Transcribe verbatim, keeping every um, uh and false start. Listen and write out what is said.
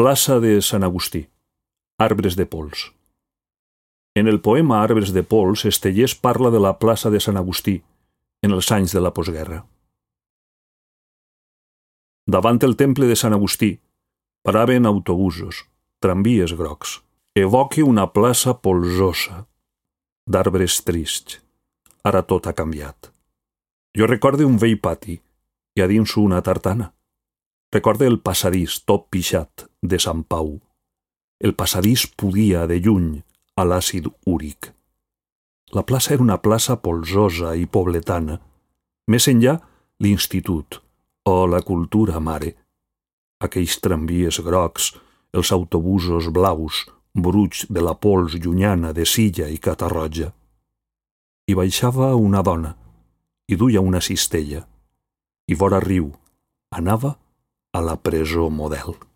Plaça de Sant Agustí. Arbres de pols. En el poema Arbres de pols, Estellés parla de la plaça de Sant Agustí en els anys de la postguerra. Davant el temple de Sant Agustí paraven autobusos, tramvies grocs. Evoque una plaça polsosa, d'arbres trists. Ara tot ha canviat. Jo recorde un vell pati i a dins una tartana. Recorde el passadís tot pixat de Sant Pau. El passadís podia de lluny a l'àcid úric. La plaça era una plaça polsosa i pobletana. Més enllà, l'institut, o la cultura mare. Aquells tramvies grocs, els autobusos blaus, bruig de la pols llunyana de Silla i Catarroja. Hi baixava una dona, i duia una cistella, i vora riu anava a la presó model.